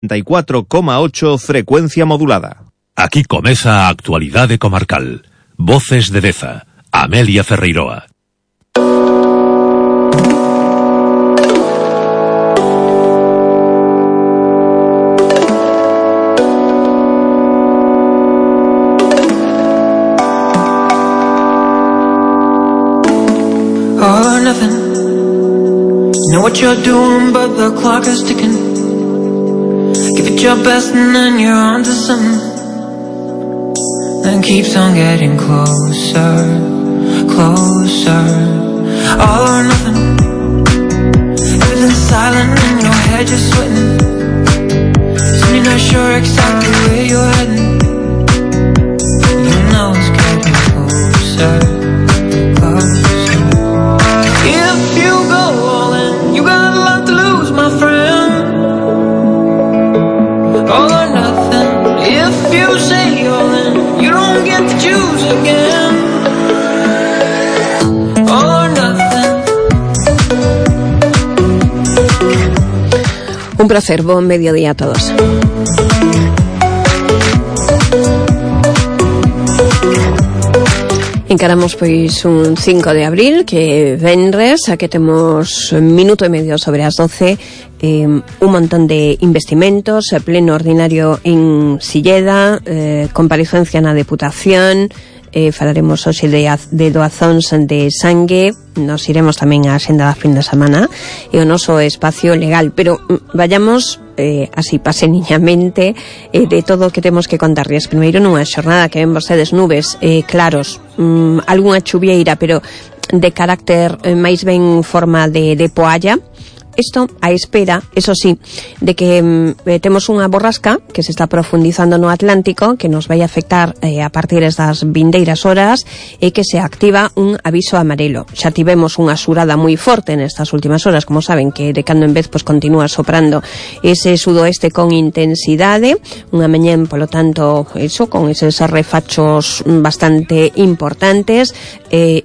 94,8 frecuencia modulada. Aquí comeza a actualidade comarcal. Voces de Deza, Amelia Ferreiroa. All or nothing. You know what you're doing, but the clock is ticking. Give it your best and then you're on to something. Then keeps on getting closer, closer. All or nothing. Everything's silent in your head, you're sweating. Soon you're not sure exactly where you're heading. You know it's getting closer, closer. If you go all in, you got a lot to lose, my friend. All or nothing. If you say all in, you don't get to choose again. All or nothing. Un placer, buen mediodía a todos. Encaramos pois un 5 de abril, que venres, a que temos minuto e medio sobre as 12, un montón de investimentos, pleno ordinario en Silleda, comparecencia na Deputación, falaremos hoxe de doazóns de sangue, nos iremos tamén á xenda da fin de semana e o noso espacio legal, pero vayamos así paseniñamente de todo o que temos que contarles. Primeiro, nunha xornada que ven vostedes nubes claros, algunha chuvieira, pero de carácter máis ben forma de poalla. Isto a espera, eso sí, de que temos unha borrasca que se está profundizando no Atlántico, que nos vai afectar a partir das vindeiras horas e que se activa un aviso amarelo. Xa tivemos unha xurada moi forte nestas últimas horas, como saben, que de cando en vez pues continúa soprando ese sudoeste con intensidade, unha mañá, polo tanto, eso, con eses refachos bastante importantes,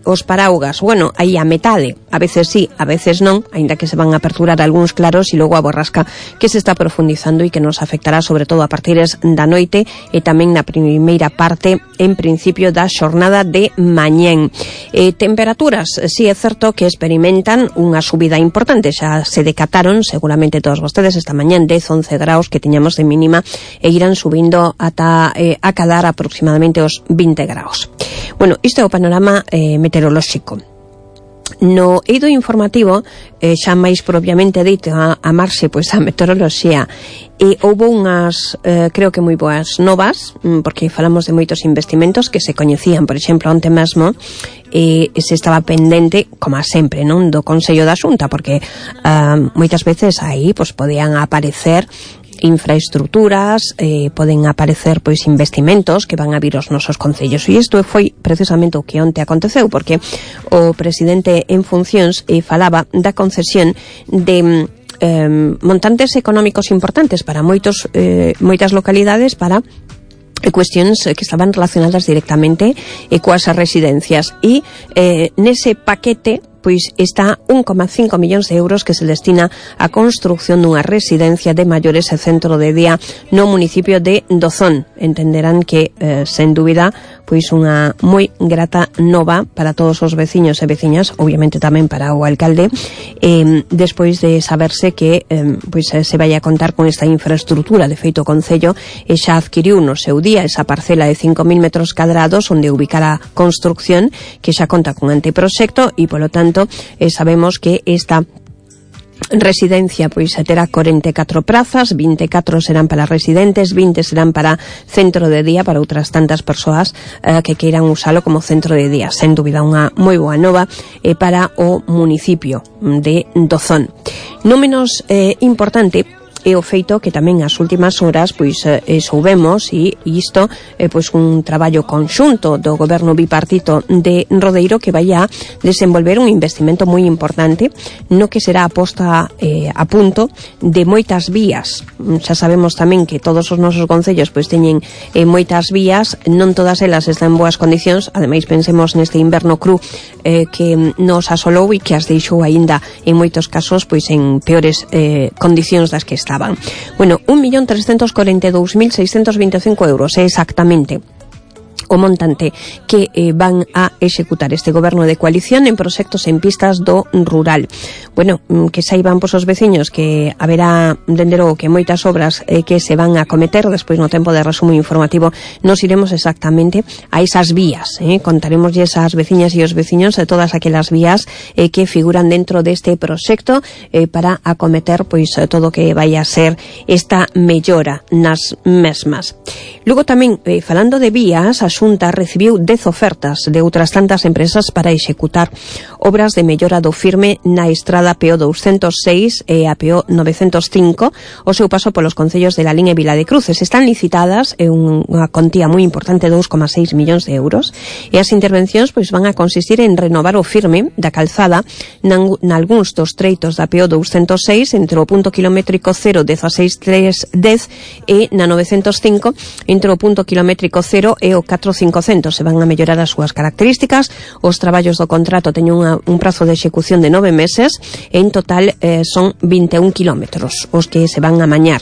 os paraugas, bueno, aí a metade, a veces sí, a veces non, aínda que se van a aperturar algúns claros, e logo a borrasca que se está profundizando e que nos afectará sobre todo a partires da noite e tamén na primeira parte, en principio, da xornada de mañén. Temperaturas, sí é certo que experimentan unha subida importante, xa se decataron seguramente todos vostedes esta mañán 10-11 graus que tiñamos de mínima e irán subindo ata acadar aproximadamente os 20 graus. Bueno, isto é o panorama meteorolóxico. No eido informativo, xa máis propiamente dito a marxe pois a meteoroloxía, houbo unhas, creo que moi boas novas, porque falamos de moitos investimentos que se coñecían, por exemplo, onte mesmo se estaba pendente, como sempre, non, do Consello da Xunta, porque moitas veces aí pois podían aparecer infraestructuras, poden aparecer pois investimentos que van a vir aos nosos concellos, e isto foi precisamente o que onte aconteceu, porque o presidente en funcións falaba da concesión de montantes económicos importantes para moitas localidades para cuestións que estaban relacionadas directamente coas residencias, e nese paquete pois está 1,5 millóns de euros que se destina á construcción dunha residencia de maiores e centro de día no municipio de Dozón. Entenderán que, sen dúbida, pois unha moi grata nova para todos os veciños e veciñas, obviamente tamén para o alcalde, despois de saberse que pois se vai a contar con esta infraestructura. De feito, o Concello xa adquiriu no seu día esa parcela de 5.000 metros cadrados onde ubicar a construcción, que xa conta con anteproxecto, e polo tanto sabemos que esta residencia pois terá 44 prazas, 24 serán para residentes, 20 serán para centro de día, para outras tantas persoas que queiran usalo como centro de día. Sen dúbida unha moi boa nova para o municipio de Dozón. Non menos importante é o feito que tamén as últimas horas pois soubemos, e isto pois un traballo conxunto do goberno bipartito de Rodeiro, que vai a desenvolver un investimento moi importante no que será a posta a punto de moitas vías. Xa sabemos tamén que todos os nosos concellos pois teñen moitas vías, non todas elas están en boas condicións. Ademais, pensemos neste inverno cru que nos asolou e que as deixou aínda en moitos casos pois en peores condicións das que está estaban. Bueno, 1.342.625 euros é exactamente o montante que van a executar este goberno de coalición en proxectos en pistas do rural. Bueno, que saiban os veciños que haberá, dende logo, que moitas obras que se van a cometer. Despois, no tempo de resumo informativo, nos iremos exactamente a esas vías, contaremos esas veciñas e os veciños de todas aquelas vías que figuran dentro deste proxecto para acometer pois todo o que vai a ser esta mellora nas mesmas. Logo tamén, falando de vías, a Xunta recibiu 10 ofertas de outras tantas empresas para executar obras de mellora do firme na estrada PO 206 e a PO 905, o seu paso polos concellos de Lalín e Vila de Cruces. Están licitadas unha contía moi importante, 2,6 millóns de euros, e as intervencións pois van a consistir en renovar o firme da calzada nalgúns dos treitos da PO 206 entre o punto kilométrico 0 16310 e na 905 entre o punto kilométrico 0 e o 4500. Se van a mellorar as súas características. Os traballos do contrato teñen un prazo de execución de 9 meses e en total son 21 kilómetros os que se van a mañar.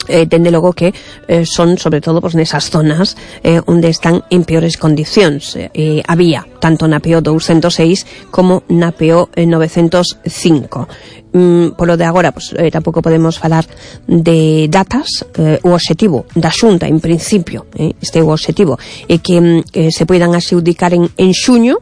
Dende logo que son sobre todo pois nesas zonas onde están en peores condicións. Había tanto na PO 206 como na PO 905. Polo de agora, pois, tampouco podemos falar de datas. O obxectivo da Xunta, en principio, este é o obxectivo, é que se poidan adxudicar en xuño,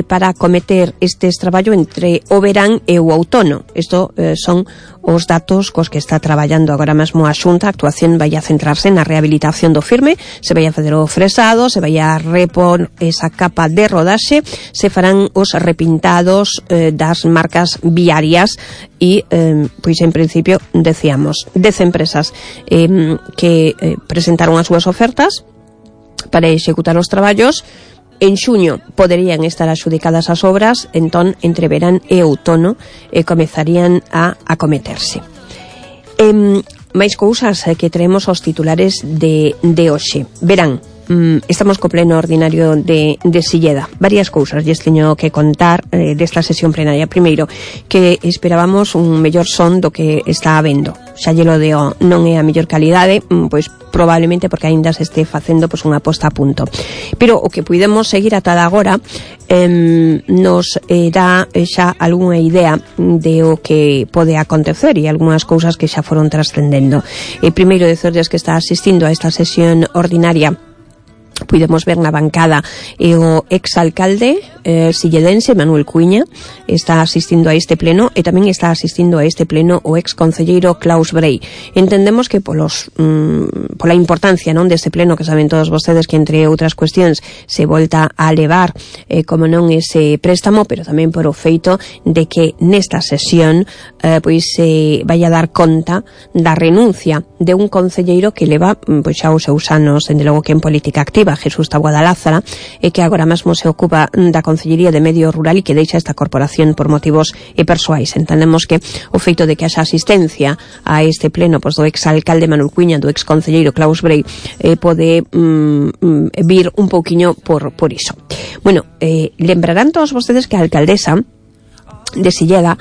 para acometer estes traballo entre o verán e o outono. Isto son os datos cos que está traballando agora mesmo a Xunta. A actuación vai a centrarse na rehabilitación do firme, se vai a facer o fresado, se vai a repor esa capa de rodaxe, se farán os repintados das marcas viarias e, pois en principio, decíamos, 10 empresas que presentaron as súas ofertas para executar os traballos. En xuño poderían estar adxudicadas as obras, entón, entre verán e outono comezarían a acometerse. Máis cousas que traemos aos titulares de hoxe. Verán, estamos co pleno ordinario de Silleda. Varias cousas lles teño que contar desta sesión plenaria. Primeiro, que esperábamos un mellor son do que está habendo. Xa llelo deo, non é a mellor calidade, pois probablemente porque aínda se este facendo pois unha posta a punto. Pero o que puidemos seguir ata agora nos dá xa algunha idea de o que pode acontecer e algunhas cousas que xa foron trascendendo. Primeiro, decerles que está asistindo a esta sesión ordinaria. Puidemos ver na bancada o exalcalde silledense Manuel Cuiña, está asistindo a este pleno, e tamén está asistindo a este pleno o exconcelleiro Klaus Brey. Entendemos que pola importancia non deste pleno, que saben todos vostedes que entre outras cuestións se volta a levar como non ese préstamo, pero tamén por o feito de que nesta sesión pois se vai a dar conta da renuncia de un concelleiro que leva pois xa os seus anos, dende logo que en política activa, Jesús Taboada Lázara, e que agora mesmo se ocupa da Concellería de Medio Rural e que deixa esta corporación por motivos persoais. Entendemos que o feito de que haxa asistencia a este pleno pois do exalcalde Manuel Cuiña, do exconcelleiro Klaus Brey, pode vir un pouquiño por iso. Bueno, lembrarán todos vostedes que a alcaldesa de Silleda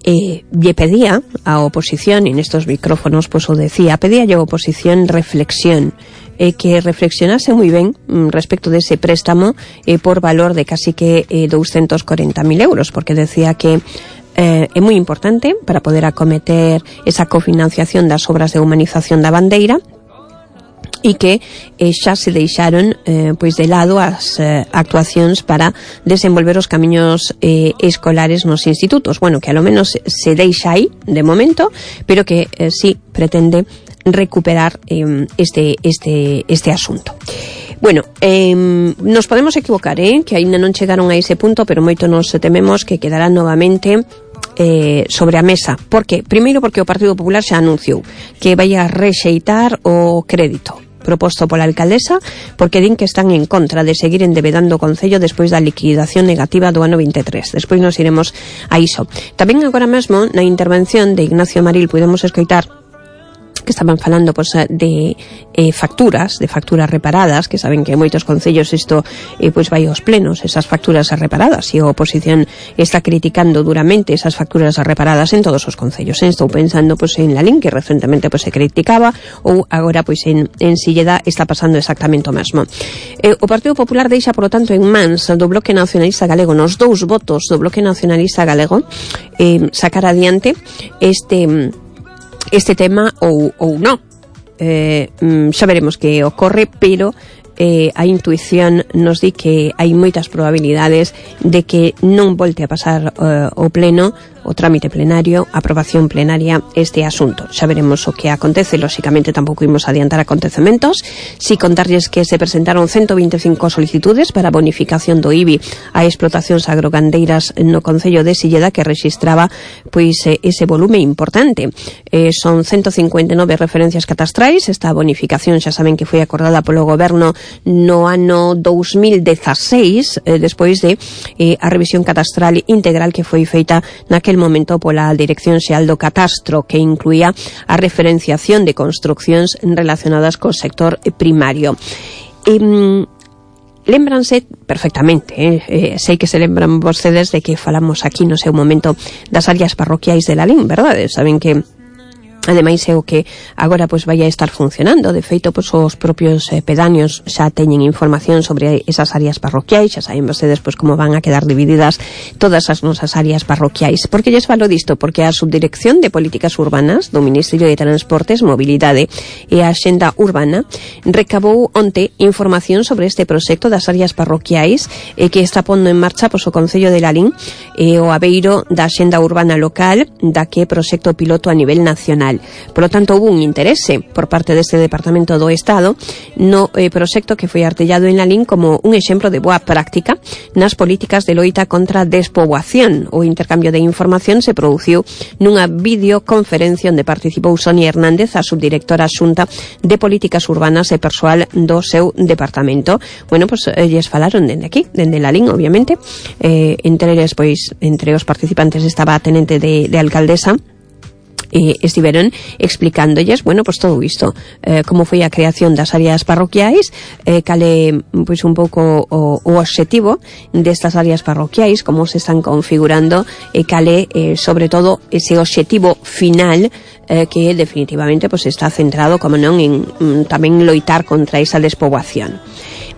lle pedía a oposición, e nestos micrófonos pois o decía, pedía a oposición reflexión, que reflexionase moi ben respecto dese préstamo por valor de casi que 240.000 euros, porque decía que é moi importante para poder acometer esa cofinanciación das obras de humanización da bandeira, e que xa se deixaron pois de lado as actuacións para desenvolver os camiños escolares nos institutos. Bueno, que a lo menos se deixa aí de momento, pero que sí pretende recuperar este asunto. Bueno, nos podemos equivocar, que aínda non chegaron a ese punto, pero moito nos tememos que quedará novamente sobre a mesa. Por que? Primeiro porque o Partido Popular xa anunciou que vai a rexeitar o crédito proposto pola alcaldesa, porque din que están en contra de seguir endebedando o Concello despois da liquidación negativa do ano 23. Despois nos iremos a iso. Tamén agora mesmo na intervención de Ignacio Maril podemos escoitar que estaban falando pois, de facturas reparadas, que saben que en moitos concellos isto pois vai aos plenos, esas facturas reparadas, e a oposición está criticando duramente esas facturas reparadas en todos os concellos. Estou pensando pois en Lalín, que recentemente pois se criticaba, ou agora pois en Silleda está pasando exactamente o mesmo. O Partido Popular deixa, por lo tanto, en mans do Bloque Nacionalista Galego, nos 2 votos do Bloque Nacionalista Galego, sacar adiante este tema ou non. Xa veremos que ocorre, pero a intuición nos di que hai moitas probabilidades de que non volte a pasar o pleno, o trámite plenario, a aprobación plenaria este asunto. Xa veremos o que acontece. Lóxicamente tampouco imos adiantar acontecementos. Si contarlles que se presentaron 125 solicitudes para bonificación do IBI a explotacións agrogandeiras no concello de Silleda, que rexistraba pois ese volume importante. Son 159 referencias catastrais. Esta bonificación xa saben que foi acordada polo goberno no ano 2016, despois de a revisión catastral integral que foi feita naquel momento pola Dirección Xeral do Catastro, que incluía a referenciación de construcións relacionadas co sector primario. Lémbranse perfectamente, sei que se lembran vostedes de que falamos aquí no seu momento das áreas parroquiais de Lalín, verdade? Saben que ademais é o que agora pois vai a estar funcionando. De feito, pois os propios pedáneos xa teñen información sobre esas áreas parroquiais. Xa saben vostedes pois como van a quedar divididas todas as nosas áreas parroquiais. Por que lles falo disto? Porque a Subdirección de Políticas Urbanas do Ministerio de Transportes, Mobilidade e a Axenda Urbana recabou onte información sobre este proxecto das áreas parroquiais que está pondo en marcha pois o Concello de Lalín e o abeiro da Axenda Urbana local, da que proxecto piloto a nivel nacional. Por lo tanto, houve un interese por parte deste Departamento do Estado no proxecto que foi artellado en Lalín como un exemplo de boa práctica nas políticas de loita contra a despoboación. O intercambio de información se produciu nunha videoconferencia onde participou Sonia Hernández, a subdirectora xunta de Políticas Urbanas e persoal do seu departamento. Bueno, pues lles falaron dende aquí, dende Lalín, obviamente. Entre eles, pois, entre os participantes estaba a tenente de alcaldesa, estiveron explicándolles, bueno, pues todo isto, como foi a creación das áreas parroquiais, cale pois un pouco o obxectivo destas áreas parroquiais, como se están configurando, e cale sobre todo ese obxectivo final que definitivamente pues está centrado, como non, en tamén loitar contra esa despoboación.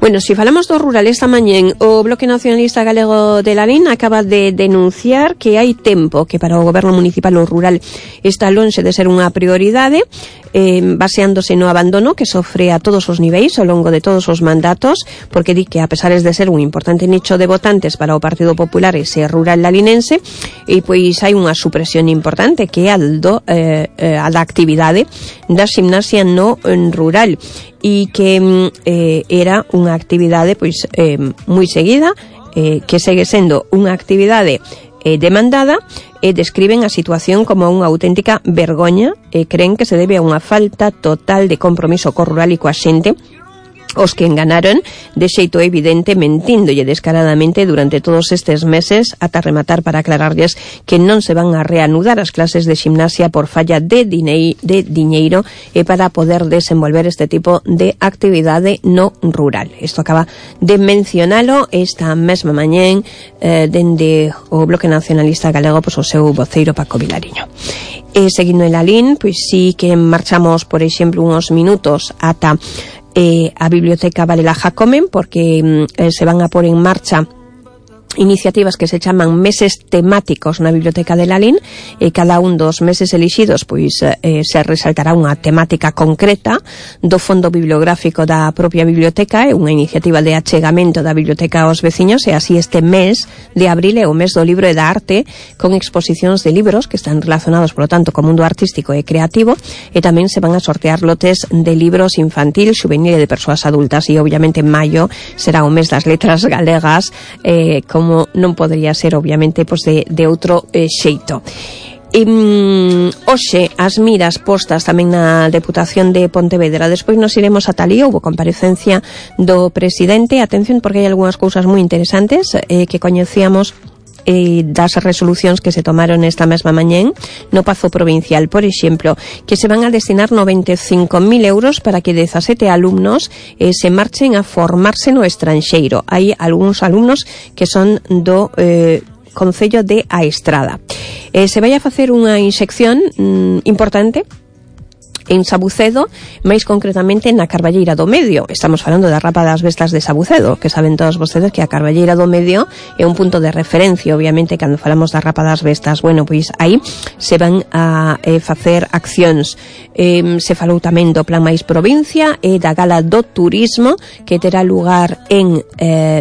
Bueno, se falamos do rural esta mañén, o Bloque Nacionalista Galego de Lalín acaba de denunciar que hai tempo que para o goberno municipal o rural está lonxe de ser unha prioridade, baseándose no abandono que sofre a todos os niveis ao longo de todos os mandatos, porque di que a pesar de ser un importante nicho de votantes para o Partido Popular ese rural lalinense, e pois hai unha supresión importante que é a da actividade da ximnasia no rural, e que era unha actividade pois moi seguida, que segue sendo unha actividade demandada, e describen a situación como unha auténtica vergoña e creen que se debe a unha falta total de compromiso co rural e coa xente, os que enganaron de xeito evidente, mentíndolle descaradamente durante todos estes meses, ata rematar para aclararlles que non se van a reanudar as clases de ximnasia por falla de diñeiro e para poder desenvolver este tipo de actividade no rural. Isto acaba de mencionalo esta mesma mañén dende o Bloque Nacionalista Galego, pois o seu voceiro Paco Vilariño. E seguindo en Lalín, pois sí que marchamos, por exemplo, uns minutos ata a Biblioteca Varela Jacomen, porque se van a pôr en marcha iniciativas que se chaman meses temáticos na Biblioteca de Lalín, e cada un dos meses elixidos pois se resaltará unha temática concreta do fondo bibliográfico da propia biblioteca. É unha iniciativa de achegamento da biblioteca aos veciños, e así este mes de abril é o mes do libro e da arte, con exposicións de libros que están relacionados, por lo tanto, co mundo artístico e creativo, e tamén se van a sortear lotes de libros infantil, xuvenil e de persoas adultas, e obviamente en maio será o mes das letras galegas, como non podría ser, obviamente, pois de outro xeito. Hoxe as miras postas tamén na Deputación de Pontevedra. Despois nos iremos a Talía, houve comparecencia do presidente. Atención, porque hai algunhas cousas moi interesantes que coñecíamos das resolucións que se tomaron esta mesma mañén no Pazo Provincial. Por exemplo, que se van a destinar 95.000 euros para que 17 alumnos se marchen a formarse no estranxeiro. Hai algúns alumnos que son do Concello de A Estrada. Se vai a facer unha inxección importante en Sabucedo, máis concretamente na Carballeira do Medio. Estamos falando da Rapa das Bestas de Sabucedo, que saben todos vostedes que a Carballeira do Medio é un punto de referencia, obviamente, cando falamos da Rapa das Bestas. Bueno, pois aí se van a facer accións. Se falou tamén do Plan Mais Provincia e da Gala do Turismo, que terá lugar en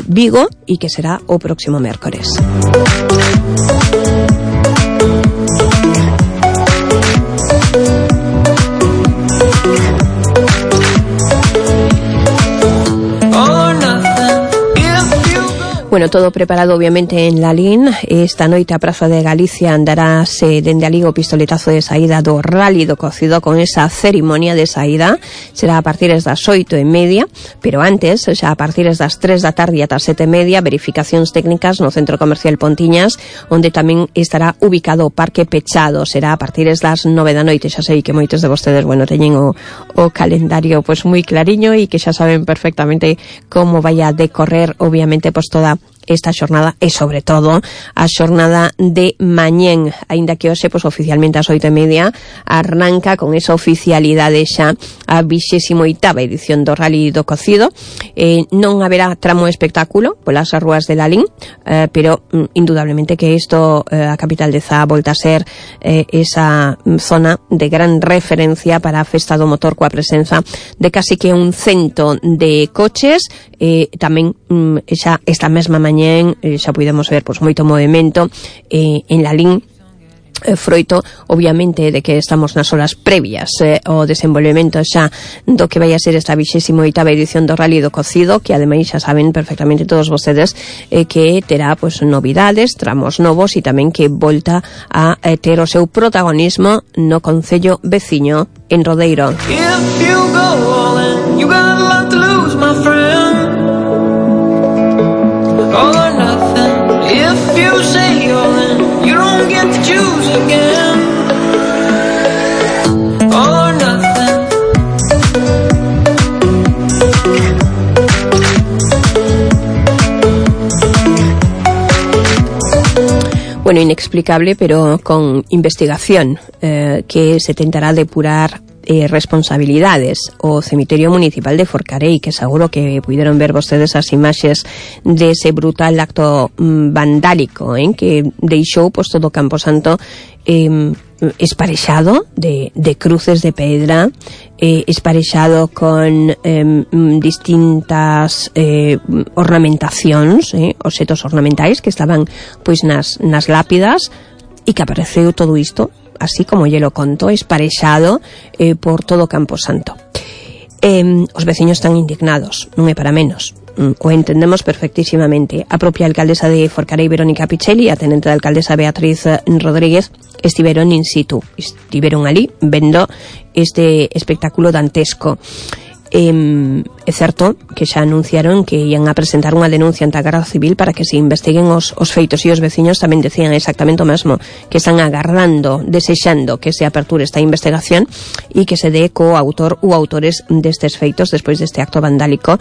Vigo e que será o próximo mércores. Bueno, todo preparado obviamente en Lalín. Esta noite a Praza de Galicia andarase dende ali o pistoletazo de saída do Rally do Cocido con esa cerimonia de saída. Será a partir das 8:30, pero antes, xa a partir das 3 da tarde ata 7:30, verificacións técnicas no Centro Comercial Pontiñas, onde tamén estará ubicado o Parque Pechado. Será a partir das 9 da noite. Xa sei que moitos de vostedes, bueno, teñen o calendario pues moi clariño e que xa saben perfectamente como vai a decorrer, obviamente, pues toda esta xornada e sobre todo a xornada de mañén, aínda que hoxe pues oficialmente ás 8:30 arranca con esa oficialidade xa a 28ª edición do Rally do Cocido. Non haberá tramo espectáculo polas rúas de Lalín, pero indudablemente que isto, a capital de Zá, volta a ser esa zona de gran referencia para a festa do motor, coa presenza de casi que 100 de coches. Tamén xa esta mesma mañén xa podemos ver pues moito movimento en Lalín, froito obviamente de que estamos nas horas previas ao desenvolvemento xa do que vai a ser esta 28ª edición do Rally do Cocido, que ademais xa saben perfectamente todos vostedes que terá pues novidades, tramos novos e tamén que volta a ter o seu protagonismo no concello veciño, en Rodeiro. If you go all in, you got a lot to lose, my friend. All or nothing. If you say all in, you don't get to choose again. All or nothing. Bueno, inexplicable, pero con investigación que se tentará depurar responsabilidades. O cemiterio municipal de Forcarei, que seguro que puderon ver vostedes as imaxes dese brutal acto vandálico que deixou pues todo o Camposanto esparexado de cruces de pedra, esparexado con distintas ornamentacións, obxetos ornamentais que estaban pois nas lápidas, e que apareceu todo isto así como lle lo conto, esparexado por todo o Camposanto. Os veciños están indignados, non é para menos. O entendemos perfectísimamente. A propia alcaldesa de Forcarei, Verónica Pichelli, e a tenente da alcaldesa Beatriz Rodríguez estiveron in situ, estiveron ali vendo este espectáculo dantesco. É certo que xa anunciaron que ian a presentar unha denuncia ante a Garda Civil para que se investiguen os feitos, e os veciños tamén decían exactamente o mesmo, que están agardando, desexando que se aperture esta investigación e que se dé co autor ou autores destes feitos despois deste acto vandálico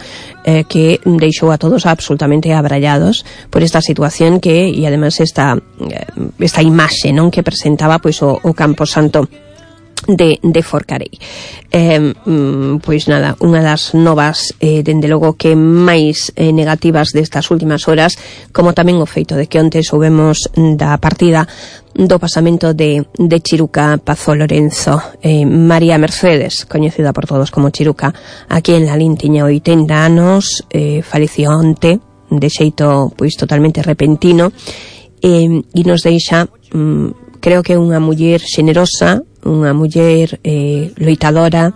que deixou a todos absolutamente abrallados por esta situación que, e además esta imaxe non que presentaba pois o Camposanto de Forcarei. Pois nada, unha das novas dende logo que máis negativas destas últimas horas, como tamén o feito de que onte soubemos da partida do pasamento de Chiruca Pazo Lorenzo. María Mercedes, coñecida por todos como Chiruca, aquí en Lalín, tiña 80 anos, faleceu onte de xeito pois totalmente repentino, e nos deixa, creo que unha muller xenerosa, unha muller loitadora,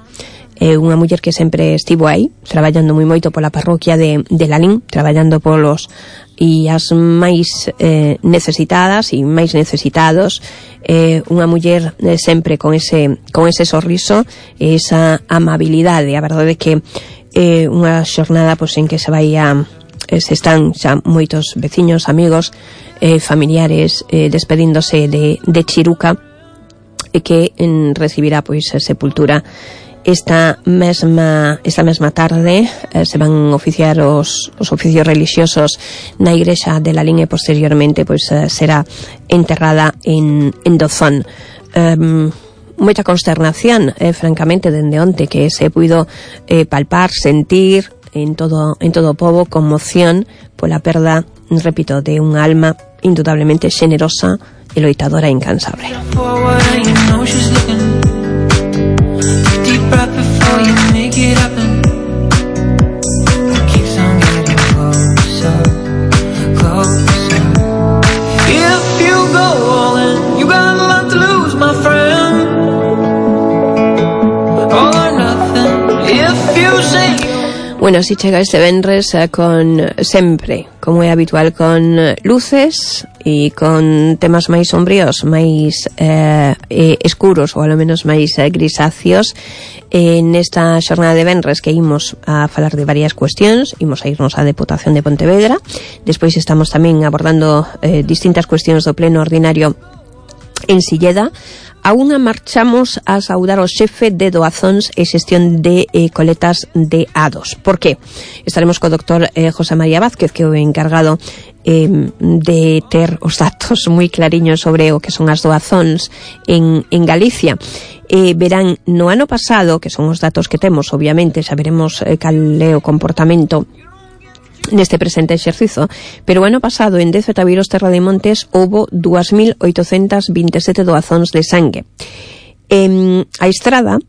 unha muller que sempre estivo aí, traballando moi moito pola parroquia de Lalín, traballando polos e as máis necesitadas e máis necesitados, unha muller sempre con ese sorriso e esa amabilidade. A verdade é que unha xornada pois en que se están xa moitos veciños, amigos, familiares despedíndose de Chiruca, que recibirá pois sepultura esta mesma tarde. Se van oficiar os oficios religiosos na igrexa de Lalín e posteriormente pois será enterrada en Dozón. Moita consternación, francamente, dende onte, que se puido palpar, sentir en todo o pobo, conmoción pola perda, repito, de unha alma indudablemente xenerosa e loitadora incansable. Bueno, así chega este venres con sempre, como é habitual, con luces e con temas máis sombríos, máis escuros, ou ao menos máis grisáceos. Nesta xornada de venres que imos a falar de varias cuestións, imos a irnos á Deputación de Pontevedra, despois estamos tamén abordando distintas cuestións do pleno ordinario en Silleda. A unha marchamos a saudar o xefe de doazóns e xestión de coletas de A2. Por qué? Estaremos co doctor José María Vázquez, que é o encargado de ter os datos moi clariños sobre o que son as doazóns en Galicia. Verán, no ano pasado, que son os datos que temos, obviamente, xa veremos cal é o comportamento neste presente exercizo, pero o ano pasado en 10 Tabiros Terra de Montes houbo 2.827 doazóns de sangue. A Estrada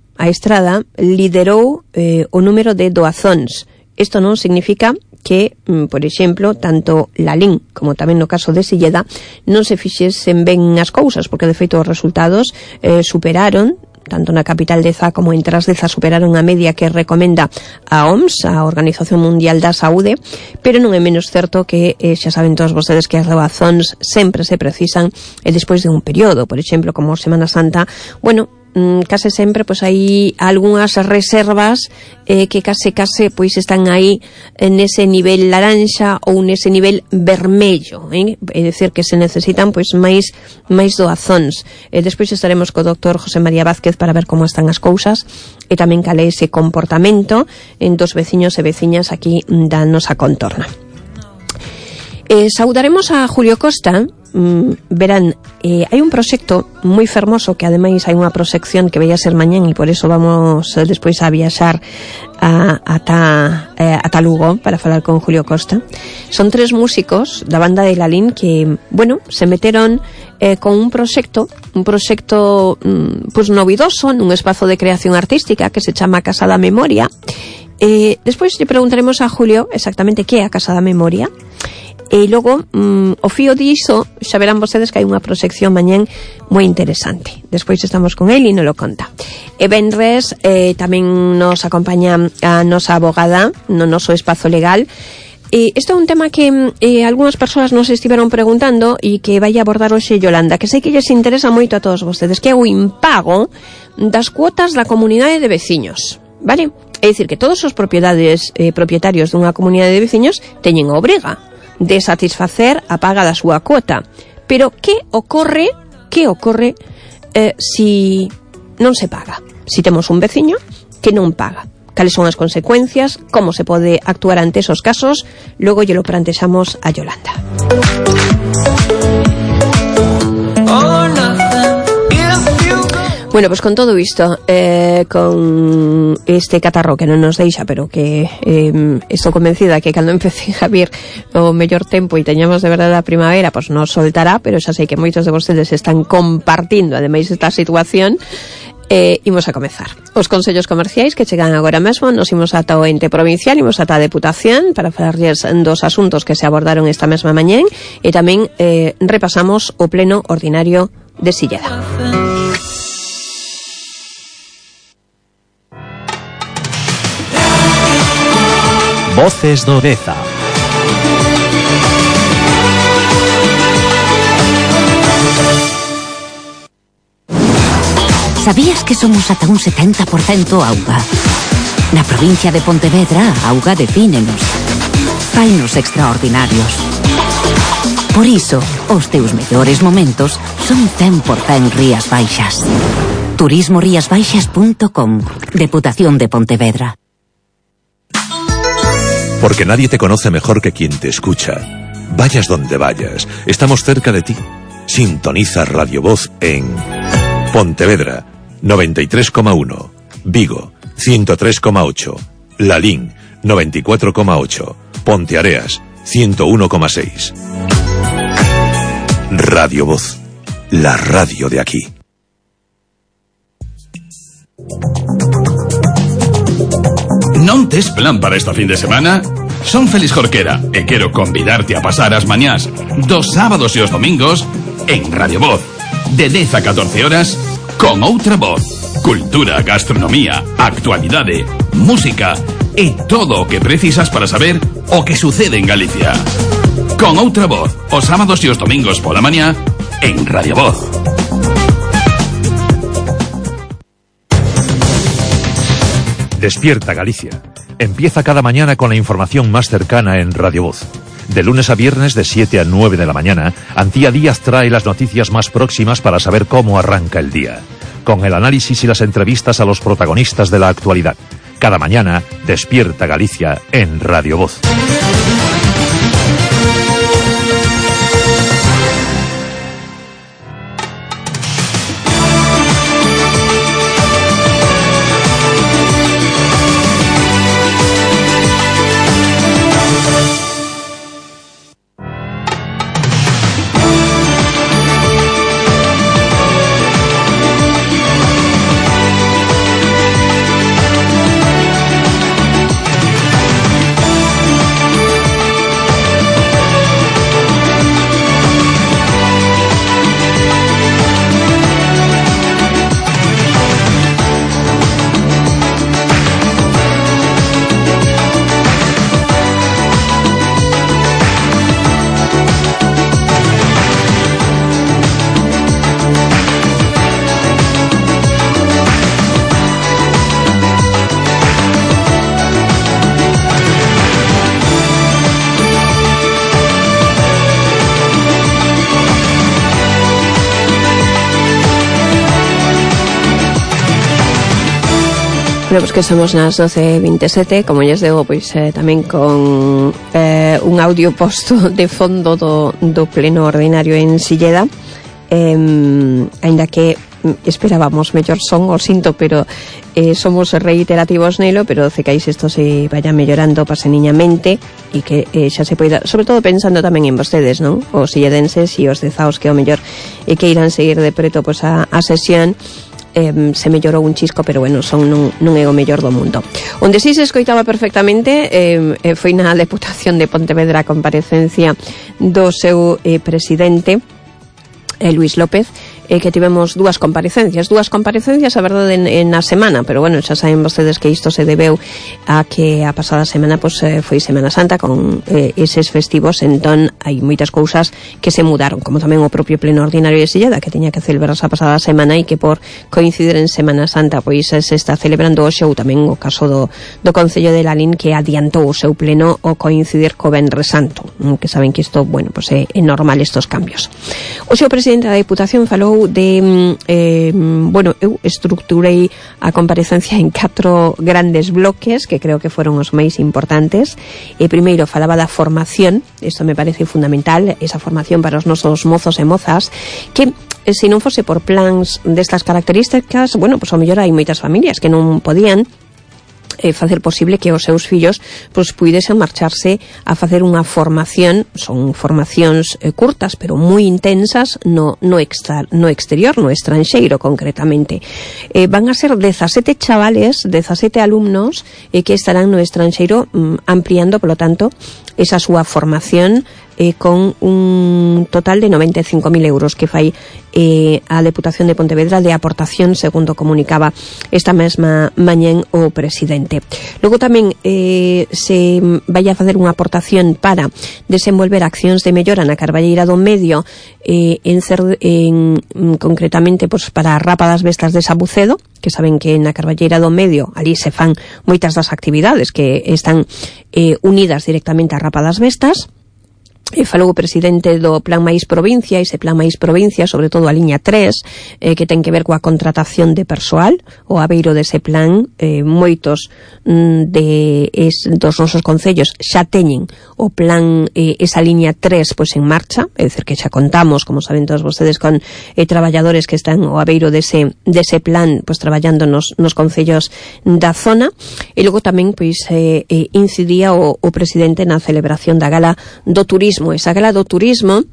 liderou o número de doazóns. Isto non significa que, por exemplo, tanto Lalín como tamén no caso de Silleda non se fixesen ben as cousas, porque de feito os resultados superaron, tanto na capital Deza como en Trasdeza, superaron a media que recomenda a OMS, a Organización Mundial da Saúde, pero non é menos certo que xa saben todos vostedes que as doazóns sempre se precisan despois de un período, por exemplo, como Semana Santa. Bueno, case sempre pois hai algunhas reservas que case pois están aí nese nivel laranxa ou nese nivel vermello, é dicir que se necesitan pois máis doazóns. Despois estaremos co doctor José María Vázquez para ver como están as cousas e tamén cal é ese comportamento dos veciños e veciñas aquí da nosa contorna. Saudaremos a Julio Costa. Verán, hai un proxecto moi fermoso que ademais hai unha proxección que vai a ser mañán e por eso vamos despois a viaxar ata Lugo para falar con Julio Costa. Son 3 músicos da banda de Lalín que, bueno, se meteron con un proxecto pois novidoso nun espazo de creación artística que se chama Casa da Memoria. Despois lle preguntaremos a Julio exactamente que é a Casa da Memoria. E logo, o fío diso, xa verán vostedes que hai unha proxección mañán moi interesante. Despois estamos con el e nos lo conta. E venres tamén nos acompaña a nosa abogada no noso espazo legal. Isto é un tema que algunhas persoas nos estiveron preguntando e que vai abordar hoxe Yolanda, que sei que lles interesa moito a todos vostedes, que é o impago das cuotas da comunidade de veciños, vale? É dicir, que todos os propietarios dunha comunidade de veciños teñen a obriga de satisfacer a paga da súa cuota. Pero que ocorre si non se paga? Si temos un veciño que non paga, cales son as consecuencias, como se pode actuar ante esos casos? Logo lle lo plantexamos a Yolanda. Bueno, pues con todo isto, con este catarro que non nos deixa, pero que estou convencida que cando empece a vir o mellor tempo e teñamos de verdade a primavera, pues nos soltará, pero xa sei que moitos de vostedes están compartindo ademais esta situación. Imos a comezar. Os consellos comerciais que chegan agora mesmo, nos imos ata o ente provincial, imos ata a Deputación para falarles dos asuntos que se abordaron esta mesma mañén e tamén repasamos o pleno ordinario de Silleda. Voces do Deza. Sabías que somos ata un 70% auga? Na provincia de Pontevedra, a auga defínenos. Fainos extraordinarios. Por iso, os teus mellores momentos son 100% Rías Baixas. turismoriasbaixas.com. Deputación de Pontevedra. Porque nadie te conoce mejor que quien te escucha. Vayas donde vayas, estamos cerca de ti. Sintoniza Radio Voz en Pontevedra 93,1, Vigo 103,8, Lalín 94,8, Ponteareas 101,6. Radio Voz, la radio de aquí. Non tes plan para esta fin de semana? Son Félix Jorquera e quero convidarte a pasar as mañás dos sábados e os domingos en Radio Voz, de 10 a 14 horas, con outra voz. Cultura, gastronomía, actualidade, música e todo o que precisas para saber o que sucede en Galicia. Con outra voz, os sábados e os domingos pola mañá en Radio Voz. Despierta Galicia. Empieza cada mañana con la información más cercana en Radio Voz. De lunes a viernes de 7 a 9 de la mañana, Antía Díaz trae las noticias más próximas para saber cómo arranca el día. Con el análisis y las entrevistas a los protagonistas de la actualidad. Cada mañana, Despierta Galicia en Radio Voz. Bueno, pues que somos nas 12:27, como lles digo, pois tamén con un audio posto de fondo do pleno ordinario en Silleda, aínda que esperábamos mellor son, o sinto, pero somos reiterativos nelo, pero cecais isto se vaya mellorando paseniñamente e que xa se poida, sobre todo pensando tamén en vostedes, non? Os silledenses e os dezaos que o mellor que irán seguir de preto pois a sesión. Se mellorou un chisco, pero bueno, son non é o mellor do mundo. Onde si se escoitaba perfectamente foi na Deputación de Pontevedra a comparecencia do seu presidente, Luis López, que tivemos dúas comparecencias, a verdade, na semana, pero bueno, xa saben vostedes que isto se debeu a que a pasada semana pois, foi Semana Santa con eses festivos, entón hai moitas cousas que se mudaron, como tamén o propio pleno ordinario de Silleda, que tiña que celebrarse a pasada semana e que por coincidir en Semana Santa pois se está celebrando hoxe, ou tamén o caso do Concello de Lalín, que adiantou o seu pleno o coincidir co Venres Santo, que saben que isto, bueno, pois é normal estos cambios. Hoxe o presidente da Deputación falou de bueno, eu estructurei a comparecencia en 4 grandes bloques que creo que foron os máis importantes. Primeiro falaba da formación, isto me parece fundamental, esa formación para os nosos mozos e mozas, que se non fose por plans destas características, bueno, pois ao mellor hai moitas familias que non podían facer posible que os seus fillos pois puidesen marcharse a facer unha formación, son formacións curtas pero moi intensas no exterior, no estranxeiro concretamente. Van a ser 17 chavales, 17 alumnos que estarán no estranxeiro ampliando, polo tanto, esa súa formación con un total de 95.000 euros que fai a Deputación de Pontevedra de aportación, segundo comunicaba esta mesma mañén o presidente. Logo tamén se vai a facer unha aportación para desenvolver accións de mellora na Carballeira do Medio, concretamente pois, para a Rapa das Bestas de Sabucedo, que saben que na Carballeira do Medio ali se fan moitas das actividades que están unidas directamente á Rapa das Bestas. falou o presidente do Plan Máis Provincia, ese Plan Máis Provincia, sobre todo a liña 3, que ten que ver coa contratación de persoal. O abeiro dese plan, moitos dos nosos concellos xa teñen o plan, esa liña 3 pois en marcha, é dicir que xa contamos, como saben todos vostedes, con traballadores que están o abeiro dese plan, pois traballando nos concellos da zona. E logo tamén pois incidía o presidente na celebración da Gala do Turismo, esa Gala do Turismo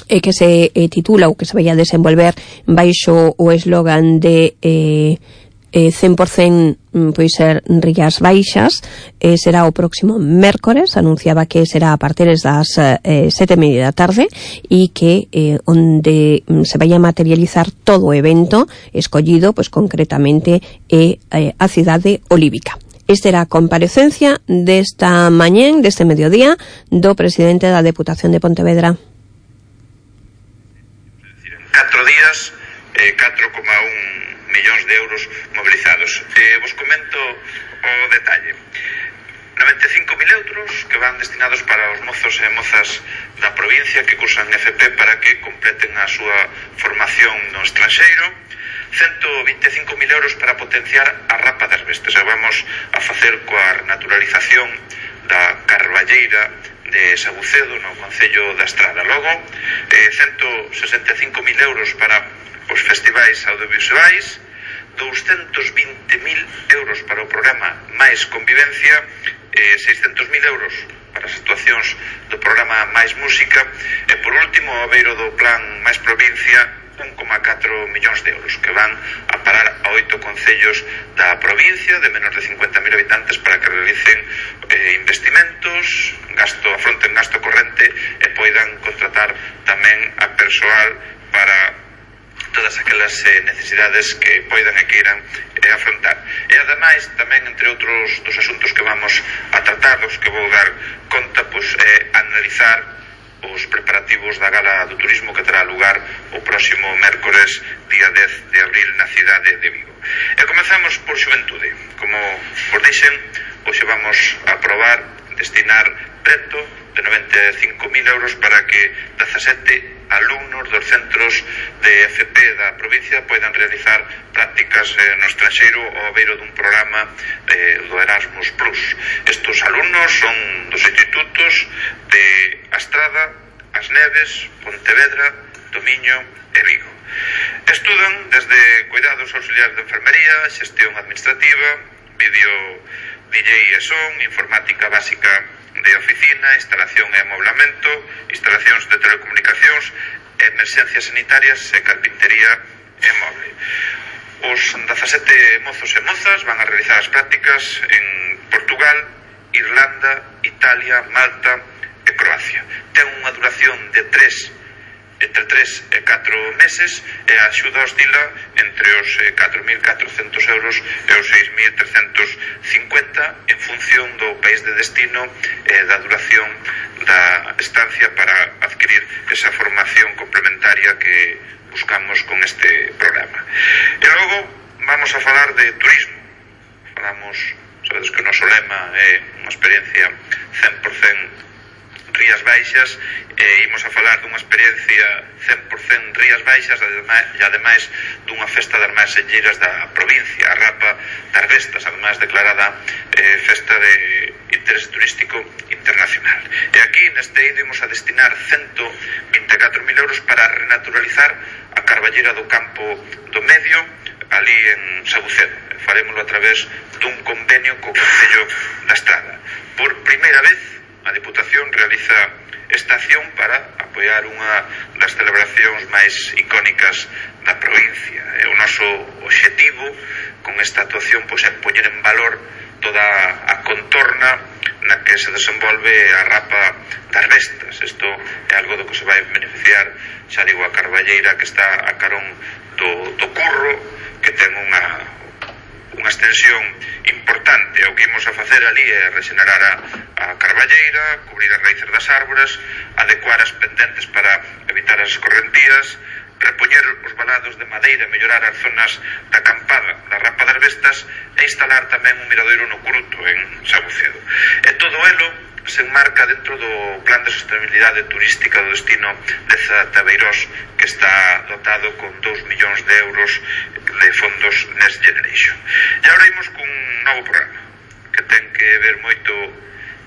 que se titula ou que se vai a desenvolver baixo o eslogan de 100% pois ser Rías Baixas. Será o próximo mércores, anunciaba que será a partir das 7:30 da tarde e que onde se vai a materializar todo o evento escollido pois concretamente a cidade olívica. Esta era a comparecencia desta mañén, deste mediodía, do presidente da Deputación de Pontevedra. 4 días, 4,1 millóns de euros mobilizados. Vos comento o detalle. 95.000 euros que van destinados para os mozos e mozas da provincia que cursan FP para que completen a súa formación no estranxeiro. 125.000 euros para potenciar a Rapa das Bestas. E vamos a facer coa renaturalización da Carballeira de Sabucedo no Concello da Estrada. Logo, 165.000 euros para os festivais audiovisuais, 220.000 euros para o programa Mais Convivencia, 600.000 euros para as actuacións do programa Mais Música e, por último, o abeiro do Plan Mais Provincia, 1,4 millóns de euros que van a parar a 8 concellos da provincia de menos de 50.000 habitantes para que realicen investimentos, afronten gasto corrente e poidan contratar tamén a persoal para todas aquelas necesidades que poidan e queiran afrontar. E ademais, tamén, entre outros dos asuntos que vamos a tratar, dos que vou dar conta, pois analizar os preparativos da Gala do Turismo que terá lugar o próximo mércores, día 10 de abril, na cidade de Vigo. E comezamos por xuventude. Como vos dixen, hoxe vamos a aprobar destinar preto de 95.000 euros para que 17 alumnos dos centros de FP da provincia poidan realizar prácticas no estranxeiro ao abeiro dun programa do Erasmus Plus. Estos alumnos son dos institutos de Astrada, As Neves, Pontevedra, Tomiño e Vigo. Estudan desde cuidados auxiliares de enfermería, xestión administrativa, vídeo DJ e son, informática básica de oficina, instalación e amoblamento, instalacións de telecomunicacións, emerxencias sanitarias e carpintería e moble. Os 17 mozos e mozas van a realizar as prácticas en Portugal, Irlanda, Italia, Malta e Croacia. Ten unha duración de entre 3 e 4 meses e a axuda oscila entre os 4.400 euros e os 6.350 en función do país de destino e da duración da estancia para adquirir esa formación complementaria que buscamos con este programa. E logo vamos a falar de turismo. Sabedes que o noso lema é unha experiencia 100% Rías Baixas e imos a falar dunha experiencia 100% Rías Baixas e ademais dunha festa das máis selleiras da provincia, a Rapa das Bestas, ademais declarada festa de interés turístico internacional. E aquí neste eido imos a destinar 124.000 euros para renaturalizar a Carballeira do Campo do Medio ali en Sabucedo. Farémoslo a través dun convenio co Concello da Estrada. Por primeira vez a Deputación realiza esta acción para apoiar unha das celebracións máis icónicas da provincia. E o noso obxectivo con esta actuación pois, é poñer en valor toda a contorna na que se desenvolve a Rapa das Bestas. Isto é algo do que se vai beneficiar, xa digo, a Carballeira que está a carón do Curro, que ten unha extensión importante. O que imos a facer ali é rexenerar a Carballeira, cubrir as raíces das árbores, adecuar as pendentes para evitar as escorrentías, repoñer os valados de madeira, mellorar as zonas da acampada da Rampa das Vestas e instalar tamén un miradoiro no Curuto, en Sabucedo. E todo elo se enmarca dentro do plan de sostenibilidade turística do destino de Zatebeirós, que está dotado con 2 millóns de euros de fondos Next Generation. E agora imos cun novo programa que ten que ver moito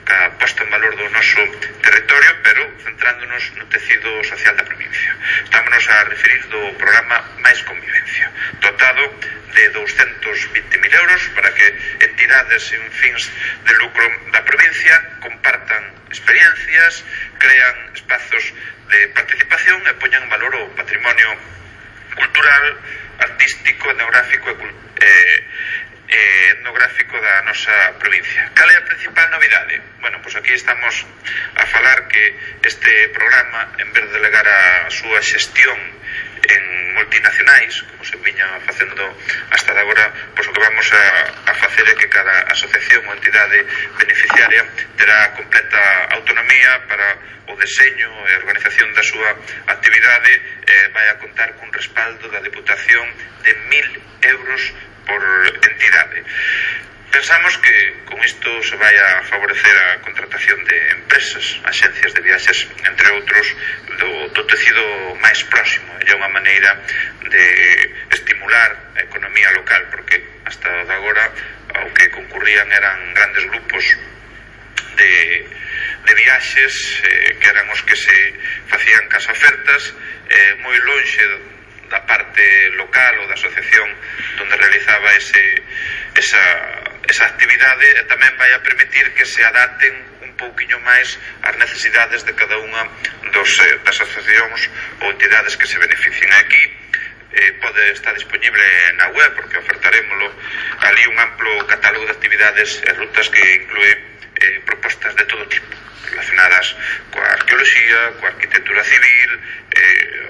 ca posta en valor do noso territorio, pero centrándonos no tecido social da provincia. Estámonos a referir do programa Máis Convivencia, dotado de 220.000 euros para que entidades sin fins de lucro da provincia compartan experiencias, crean espazos de participación e poñan en valor o patrimonio cultural, artístico, etnográfico etnográfico da nosa provincia. Cal é a principal novidade? Bueno, pois aquí estamos a falar que este programa, en vez de delegar a súa xestión en multinacionais, como se viña facendo hasta de agora, pois o que vamos a facer é que cada asociación ou entidade beneficiaria terá completa autonomía para o deseño e a organización da súa actividade, vai a contar cun respaldo da Deputación de 1.000 euros por entidade. Pensamos que con isto se vai a favorecer a contratación de empresas, axencias de viaxes, entre outros, do tecido máis próximo. É unha maneira de estimular a economía local, porque hasta de agora ao que concurrían eran grandes grupos de viaxes, que eran os que se facían cas ofertas, moi lonxe da parte local ou da asociación donde realizaba esa actividade, e tamén vai a permitir que se adapten un pouquiño máis as necesidades de cada unha das asociacións ou entidades que se beneficien. Aquí pode estar disponible na web, porque ofertarémoslo ali un amplo catálogo de actividades e rutas que inclúe propostas de todo tipo, relacionadas coa arqueoloxía, coa arquitectura civil,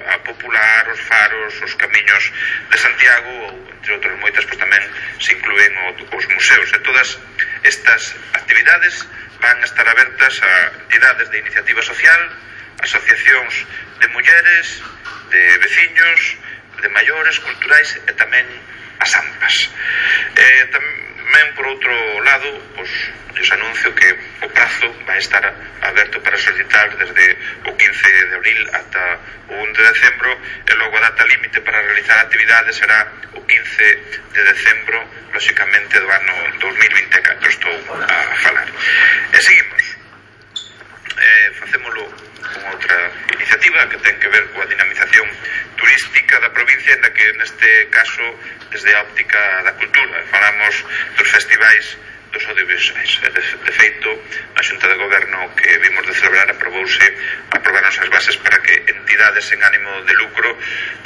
a popular, os faros, os camiños de Santiago, ou entre outras moitas, pois tamén se inclúen os museos. E todas estas actividades van a estar abertas a entidades de iniciativa social, asociacións de mulleres, de veciños, de maiores, culturais e tamén as AMPAs. Tamén, por outro lado, pois, os anuncio que o prazo vai estar aberto para solicitar desde o 15 de abril ata o 1 de decembro, e logo a data límite para realizar actividades será o 15 de decembro, lóxicamente do ano 2024, estou a falar. E seguimos. Facémolo con outra iniciativa que ten que ver coa dinamización turística da provincia, na que neste caso desde a óptica da cultura falamos dos festivais dos audiovisuais. De feito, a Xunta de Goberno que vimos de celebrar aprobaronse as bases para que entidades sen ánimo de lucro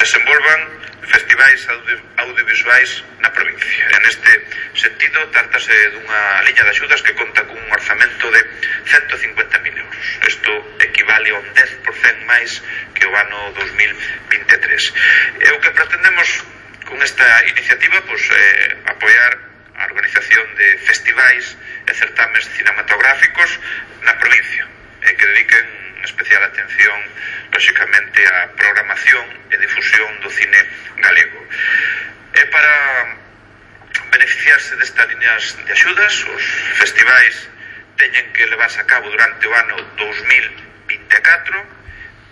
desenvolvan festivais audiovisuais na provincia. En este sentido, trátase dunha liña de axudas que conta cun orzamento de 150.000 euros. Isto equivale a un 10% máis que o ano 2023. E o que pretendemos con esta iniciativa, pois, apoiar a organización de festivais e certames cinematográficos na provincia, que dediquen especial atención, lóxicamente, á programación e difusión do cine galego. E para beneficiarse destas liñas de axudas, os festivais teñen que levarse a cabo durante o ano 2024,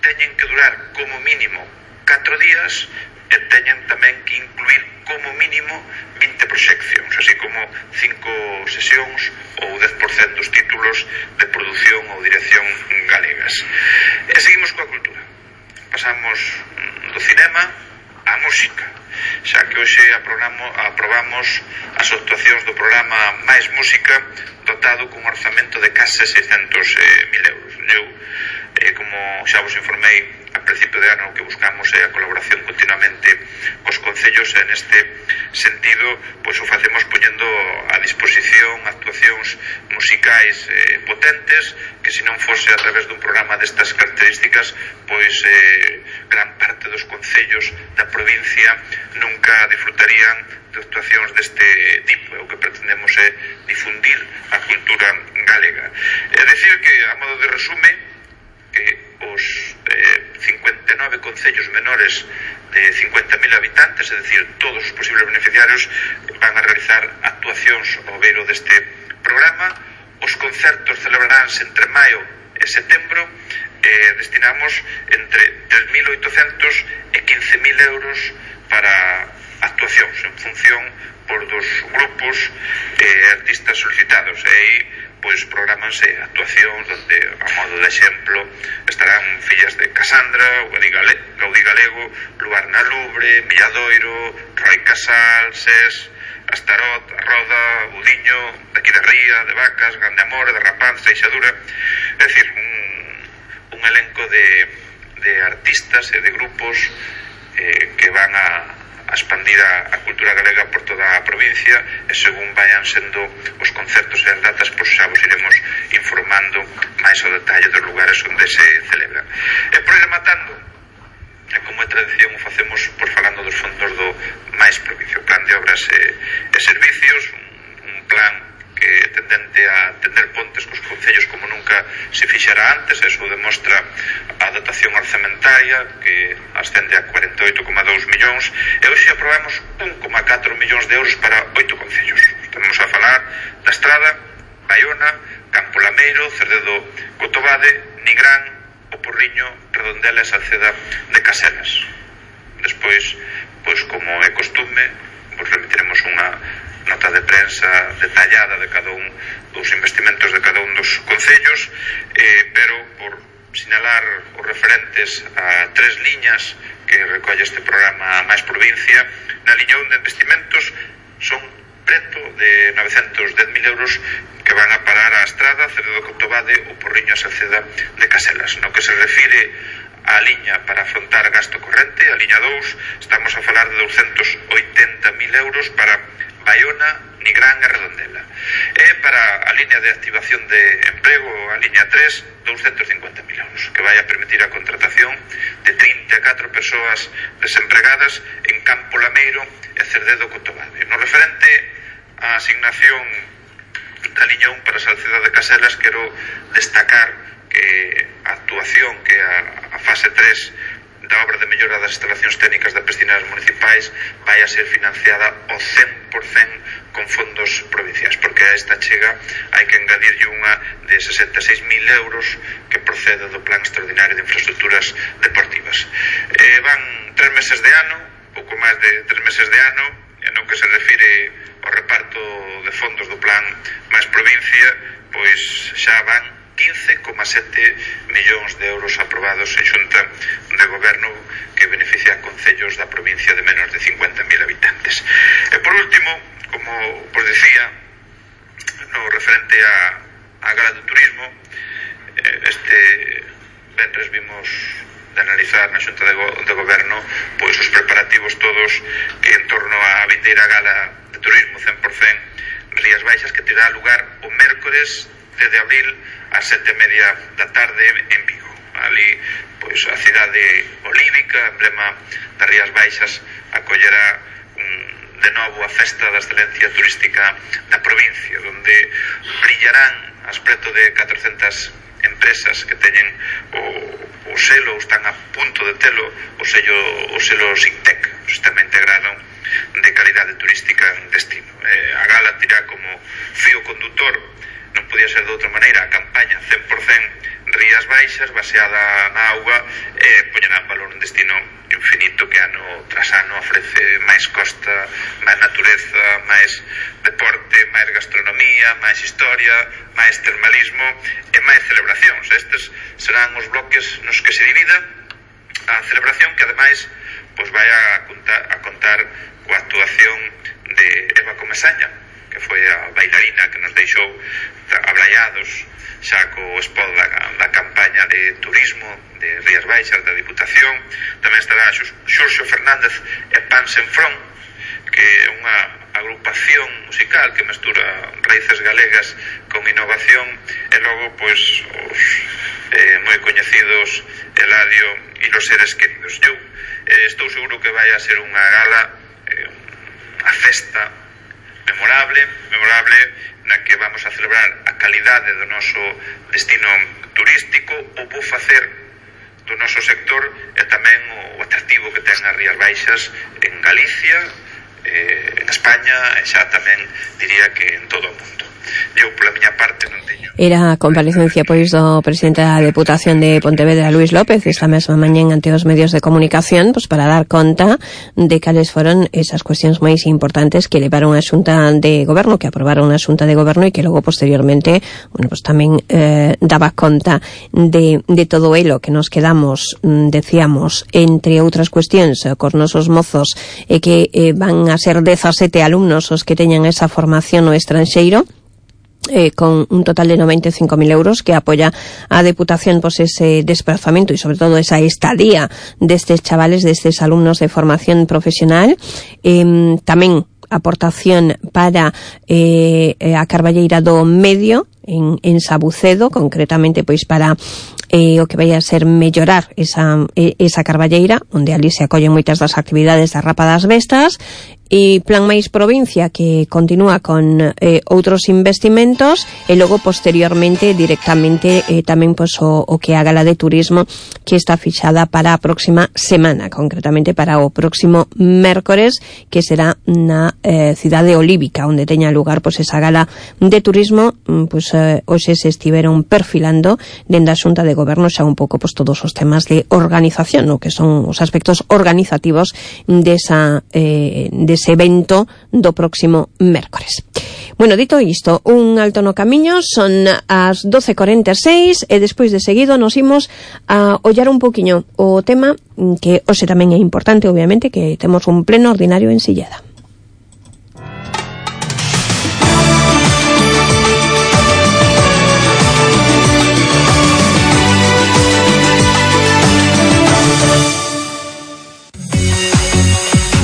teñen que durar como mínimo 4 días e teñen tamén que incluir como mínimo 20 proxeccións, así como 5 sesións ou 10% dos títulos de produción ou dirección galegas. E seguimos coa cultura. Pasamos do cinema á música, xa que hoxe aprobamos as actuacións do programa Máis Música, dotado cun orzamento de case 600.000 euros. Como xa vos informei a principio de ano, o que buscamos é a colaboración continuamente cos concellos, e neste sentido, pois o facemos poñendo a disposición actuacións musicais potentes, que se non fose a través dun programa destas características, pois gran parte dos concellos da provincia nunca disfrutarían de actuacións deste tipo. O que pretendemos é difundir a cultura galega. É dicir que, a modo de resume, que os 59 concellos menores de 50.000 habitantes, é dicir, todos os posibles beneficiarios van a realizar actuacións ao beiro deste programa. Os concertos celebraránse entre maio e setembro e destinamos entre 3.800 e 15.000 euros para actuacións en función por dos grupos e artistas solicitados. E aí pois programanse actuacións onde, a modo de exemplo, estarán Fillas de Casandra, Gaudí Galego, Luar na Lubre, Milladoiro, Roy Casal, SES, Astarot, Roda, Budiño, de aquí de Ría, de Vacas, Grande Amor, de Rapaz, Seixadura. É dicir, un elenco de artistas e de grupos que van a expandir a cultura galega por toda a provincia, e según vayan sendo os concertos e as datas, pois xa vos iremos informando máis ao detalle dos lugares onde se celebra. E por ir rematando, como é tradición, o facemos por falando dos fondos do máis provincia, o Plan de Obras e Servicios, un plan que tendente a tender pontes cos concellos como nunca se fixera antes. Eso demostra a dotación orzamentaria, que ascende a 48,2 millóns, e hoxe aprobamos 1,4 millóns de euros para 8 concellos. Estamos a falar da Estrada, Baiona, Campo Lameiro, Cerdedo Cotobade, Nigrán, O Porriño, Redondela e Salceda de Caselas. Despois, pois como é costume, vos remitiremos unha nota de prensa detallada de cada un dos investimentos de cada un dos concellos, pero por sinalar os referentes a 3 liñas que recolle este programa máis provincia. Na liña 1 de investimentos son preto de 910.000 euros que van a parar a Estrada, Cerdedo Cotobade, O Porriño e Salceda de Caselas. No que se refire a liña para afrontar gasto corrente, a liña 2, estamos a falar de 280.000 euros para Baiona, Nigrán e Redondela. E para a liña de activación de emprego, a liña 3, 250.000 euros, que vai a permitir a contratación de 34 persoas desempregadas en Campo Lameiro e Cerdedo Cotobade. No referente á asignación da liña 1 para Salceda de Caselas, quero destacar que a actuación, que a fase 3 da obra de mellora das instalacións técnicas das piscinas municipais vai a ser financiada ao 100% con fondos provinciais, porque a esta chega hai que engadirlle unha de 66.000 euros que procede do Plan Extraordinario de Infraestructuras Deportivas. Van 3 meses de ano, pouco máis de 3 meses de ano, e no que se refire ao reparto de fondos do Plan máis provincia, pois xa van 15,7 millóns de euros aprobados en Xunta de Goberno, que beneficia a concellos da provincia de menos de 50.000 habitantes. E por último, como vos decía, no referente a Gala do Turismo, este venres vimos de analizar na Xunta de Goberno pois os preparativos todos que en torno á vindeira Gala de Turismo 100% Rías Baixas, que terá lugar o mércores 10 de abril ás 7:30 da tarde en Vigo. Ali, pois, a cidade olívica, emblema das Rías Baixas, acollerá de novo a festa da excelencia turística da provincia, onde brillarán as preto de 400 empresas que teñen o selo, ou están a punto de telo, o selo SICTEC, o Sistema Integrado de Calidade Turística en Destino. A gala tirá como fío condutor, non podía ser de outra maneira, a campaña 100% Rías Baixas, baseada na auga, e poñerá en valor un destino infinito que ano tras ano ofrece máis costa, máis natureza, máis deporte, máis gastronomía, máis historia, máis termalismo e máis celebracións. Estes serán os bloques nos que se divida a celebración, que ademais pois vai a contar coa actuación de Eva Comesaña, que foi a bailarina que nos deixou abraiados xa co spot da campaña de turismo de Rías Baixas da Diputación. Tamén estará Xurxo Fernández e Pan Senfrón, que é unha agrupación musical que mestura raíces galegas con innovación, e logo pois os moi coñecidos Eladio e Los Seres Queridos. Eu estou seguro que vai a ser unha gala, a festa memorable na que vamos a celebrar a calidade do noso destino turístico. O vou facer do noso sector e tamén o atractivo que ten as Rías Baixas en Galicia, en España e xa tamén diría que en todo o mundo. Eu, pola miña parte, non teño. Era a comparecencia, pois, do presidente da Deputación de Pontevedra, Luís López, esta mesma mañén ante os medios de comunicación, pois, para dar conta de cales foron esas cuestións máis importantes que levaron a Xunta de Goberno, que aprobaron a Xunta de Goberno e que logo, posteriormente, bueno, pois tamén daba conta de todo elo que nos quedamos, decíamos, entre outras cuestións, cos nosos mozos, que van a ser 17 alumnos os que teñan esa formación no estranxeiro, con un total de 95.000 euros que apoya a Deputación, pues, ese desplazamiento y sobre todo esa estadía destes chavales, destes alumnos de formación profesional. Tamén aportación para a Carballeira do Medio en Sabucedo, concretamente pois para o que vai a ser mellorar esa Carballeira, onde ali se acollen moitas das actividades da Rapa das Bestas, e Plan Máis Provincia, que continúa con outros investimentos, e logo posteriormente directamente tamén pois o que a Gala de Turismo, que está fixada para a próxima semana, concretamente para o próximo mércores, que será na cidade olívica, onde teña lugar pois esa Gala de Turismo. Pois hoxe se estiveron perfilando dende a Xunta de Goberno xa un pouco pois todos os temas de organización, no que son os aspectos organizativos dese evento do próximo mércores. Bueno, dito isto, un alto no camiño, son as 12:46 e despois de seguido nos imos a ollar un poquinho o tema que hoxe tamén é importante, obviamente, que temos un pleno ordinario en Silleda.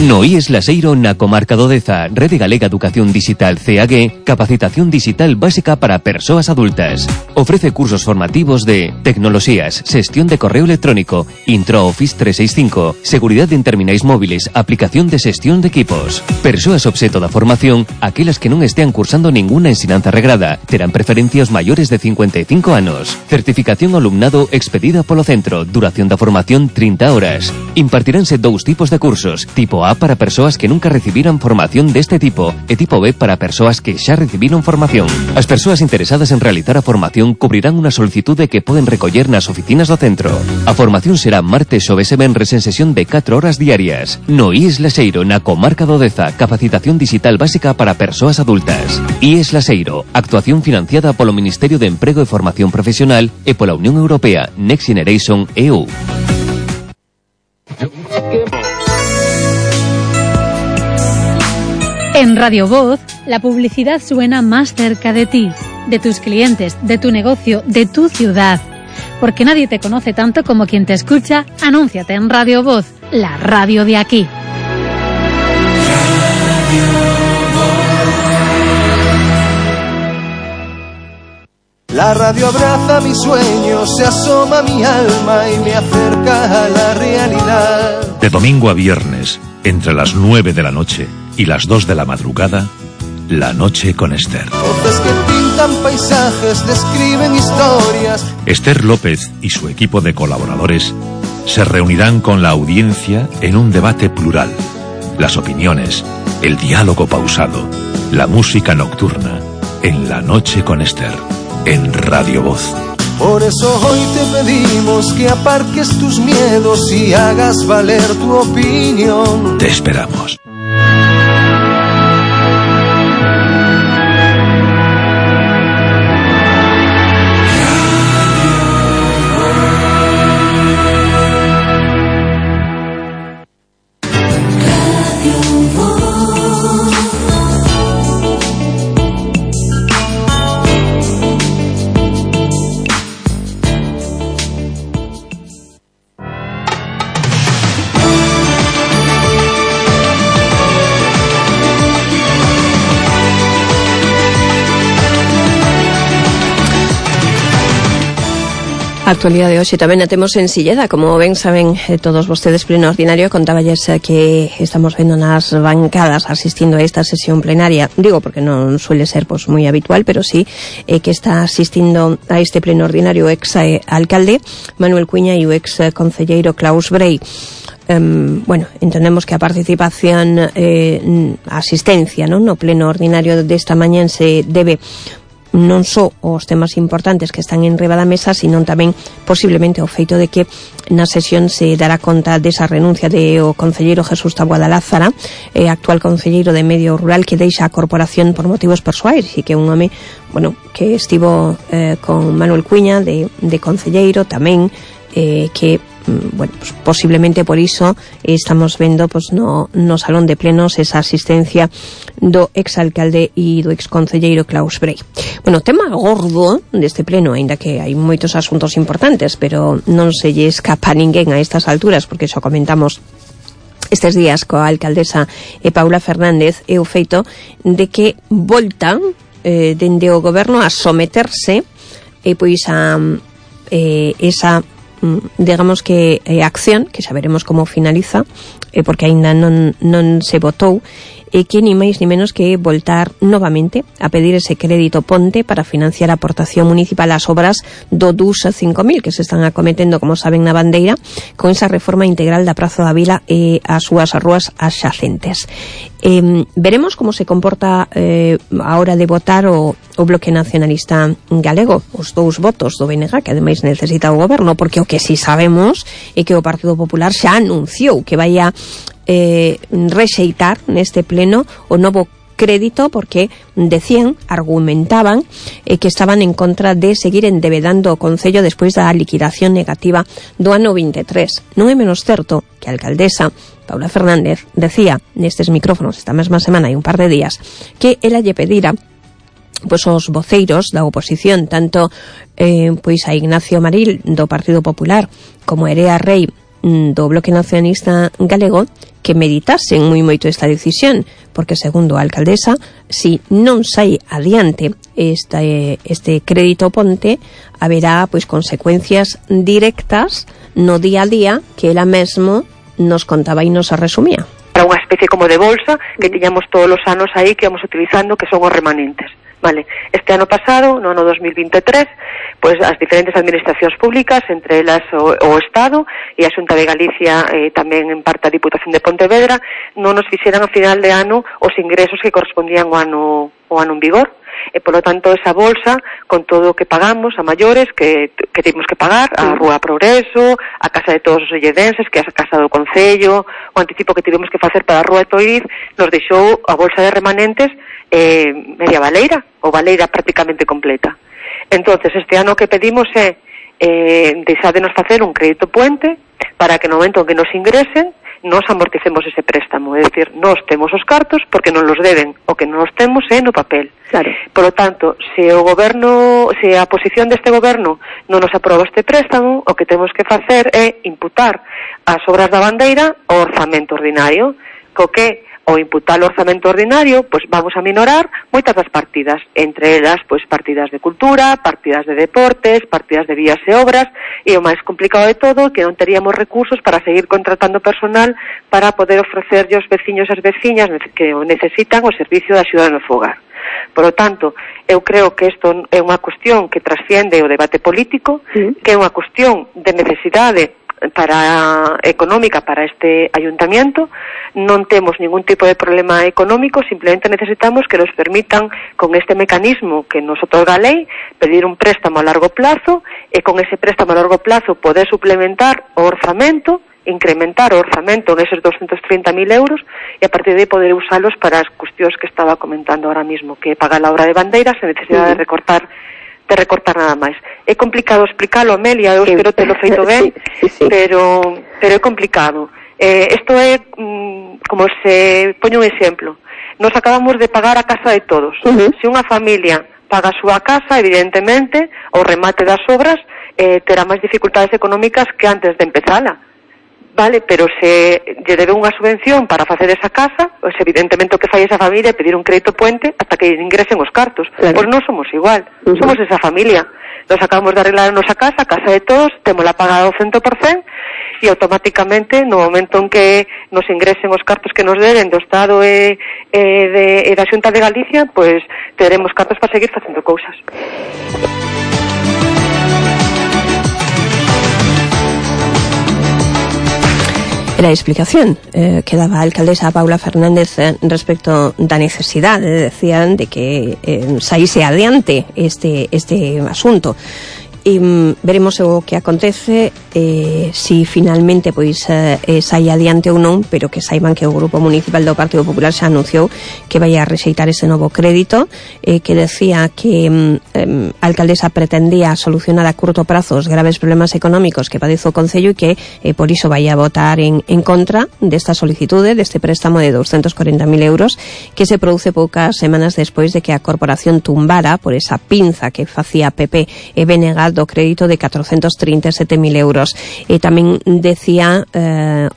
No IES Laseiro na comarca do Deza, Rede Galega Educación Digital CAG, capacitación digital básica para persoas adultas. Ofrece cursos formativos de tecnoloxías, xestión de correo electrónico, Intro Office 365, seguridad en terminais móviles, aplicación de xestión de equipos. Persoas obxeto da formación, aquelas que non estean cursando ninguna ensinanza regrada, terán preferencia os maiores de 55 anos. Certificación alumnado expedida polo centro, duración da formación 30 horas. Impartiránse dous tipos de cursos, tipo A para persoas que nunca recibiran formación deste tipo e tipo B para persoas que xa recibiron formación. As persoas interesadas en realizar a formación cubrirán unha solicitude que poden recoller nas oficinas do centro. A formación será martes, xoves e venres en sesión de 4 horas diarias. No IES Laseiro, na comarca do Deza, capacitación digital básica para persoas adultas. IES Laseiro, actuación financiada polo Ministerio de Emprego e Formación Profesional e pola Unión Europea Next Generation EU. En Radio Voz, la publicidad suena más cerca de ti, de tus clientes, de tu negocio, de tu ciudad. Porque nadie te conoce tanto como quien te escucha, anúnciate en Radio Voz, la radio de aquí. La radio abraza mis sueños, se asoma a mi alma y me acerca a la realidad. De domingo a viernes, entre las 9 de la noche y las 2 de la madrugada, La Noche con Esther. Voces que pintan paisajes, describen historias. Esther López y su equipo de colaboradores se reunirán con la audiencia en un debate plural. Las opiniones, el diálogo pausado, la música nocturna, en La Noche con Esther, en Radio Voz. Por eso hoy te pedimos que aparques tus miedos y hagas valer tu opinión. Te esperamos. Actualidade de hoxe tamén a temos en Silleda. Como ben saben todos vostedes, pleno ordinario, contáballes que estamos vendo nas bancadas asistindo a esta sesión plenaria. Digo porque non suele ser moi habitual, pero sí que está asistindo a este pleno ordinario o ex alcalde Manuel Cuña e o ex concelleiro Klaus Brey. Bueno, entendemos que a participación, a asistencia, non, no pleno ordinario desta mañá se debe non só os temas importantes que están en riba da mesa, sino tamén posiblemente o feito de que na sesión se dará conta desa renuncia de o concelleiro Jesús Taboada Lázara, actual concelleiro de Medio Rural, que deixa a corporación por motivos persoais e que é un home, bueno, que estivo con Manuel Cuña de concelleiro tamén, que bueno, pues posiblemente por iso estamos vendo pues no salón de plenos esa asistencia do exalcalde e do exconcelleiro Klaus Brey. Bueno, tema gordo deste pleno, aínda que hai moitos asuntos importantes, pero non se lle escapa a ninguén a estas alturas, porque xa comentamos estes días coa alcaldesa Paula Fernández, é o feito de que voltan dende o goberno a someterse pois a esa digamos que acción, que saberemos como finaliza, porque aínda non se votou, que ni máis ni menos que voltar novamente a pedir ese crédito ponte para financiar a aportación municipal ás obras do DUS 5000 que se están acometendo, como saben, na Bandeira, con esa reforma integral da Praza da Vila e as súas rúas adxacentes. Veremos como se comporta a hora de votar o Bloque Nacionalista Galego, os dous votos do BNG, que ademais necesita o goberno, porque o que si sabemos é que o Partido Popular xa anunciou que vai a rexeitar neste pleno o novo crédito, porque decían, argumentaban que estaban en contra de seguir endebedando o Concello despois da liquidación negativa do ano 23. Non é menos certo que a alcaldesa Paula Fernández decía nestes micrófonos esta mesma semana e un par de días que ela lle pedira pois os voceiros da oposición, tanto pois a Ignacio Maril do Partido Popular como Erea Rei do Bloque Nacionalista Galego, que meditasen moi moito esta decisión, porque segundo a alcaldesa, si non sai adiante este crédito ponte, haberá pois consecuencias directas no día a día que ela mesmo nos contaba e nos resumía. Para unha especie como de bolsa que tiñamos todos os anos aí que vamos utilizando, que son os remanentes. Vale, este ano pasado, no ano 2023, pois as diferentes administracións públicas, entre elas o Estado e a Xunta de Galicia, tamén en parte a Diputación de Pontevedra, non nos fixeran a final de ano os ingresos que correspondían ao ano en vigor. E, polo tanto, esa bolsa, con todo o que pagamos a maiores, que temos que pagar, a Rúa Progreso, a Casa de Todos os Olledenses, que é a Casa do Concello, o anticipo que tivemos que facer para a Rúa de Toiriz, nos deixou a bolsa de remanentes media baleira, ou baleira prácticamente completa. Entonces, este ano que pedimos é deixádenos facer un crédito puente para que no momento en que nos ingresen nos amorticemos ese préstamo, é dicir, nós temos os cartos porque non los deben, o que non os temos é no papel. Claro. Por lo tanto, se a posición deste goberno non nos aproba este préstamo, o que temos que facer é imputar as obras da Bandeira ao orzamento ordinario, co que o imputar o orzamento ordinario, pois vamos a minorar moitas das partidas, entre elas, pois partidas de cultura, partidas de deportes, partidas de vías e obras, e o máis complicado de todo que non teríamos recursos para seguir contratando personal para poder ofrecerlle aos veciños e as veciñas que necesitan o servicio de axuda no fogar. Por lo tanto, eu creo que isto é unha cuestión que trasciende o debate político, que é unha cuestión de necesidade económica para este ayuntamiento. Non temos ningún tipo de problema económico, simplemente necesitamos que nos permitan, con este mecanismo que nos otorga a lei, pedir un préstamo a largo plazo e con ese préstamo a largo plazo poder suplementar o orzamento, incrementar o orzamento neses 230.000 euros e a partir de aí poder usalos para as cuestións que estaba comentando ahora mismo, que paga a obra de Bandeiras sen necesidade de recortar nada máis. É complicado explicalo, Amelia, eu espero te lo feito ben, sí. pero é complicado. Isto é como se poño un exemplo. Nos acabamos de pagar a casa de todos. Se unha familia paga a súa casa, evidentemente, o remate das obras terá máis dificultades económicas que antes de empezala. Vale, pero se lle debe unha subvención para facer esa casa, pois evidentemente o que fai esa familia é pedir un crédito puente hasta que ingresen os cartos. Claro. Pois non somos igual, somos esa familia. Nos acabamos de arreglar a nosa casa, a casa de todos, témola pagada ao 100%, e automáticamente, no momento en que nos ingresen os cartos que nos deben do Estado e da Xunta de Galicia, pois teremos cartos para seguir facendo cousas. Era a explicación que daba a alcaldesa Paula Fernández respecto da necesidade, decían, de que saíse adiante este asunto. E veremos o que acontece, si finalmente pois sai adiante ou non, pero que saiban que o Grupo Municipal do Partido Popular xa anunciou que vai a rexeitar ese novo crédito, que decía que a alcaldesa pretendía solucionar a curto prazo os graves problemas económicos que padece o Concello e que por iso vai a votar en contra desta solicitude, deste préstamo de 240.000 euros que se produce poucas semanas despois de que a corporación tumbara por esa pinza que facía PP e BNG do crédito de 437.000 euros. E tamén decía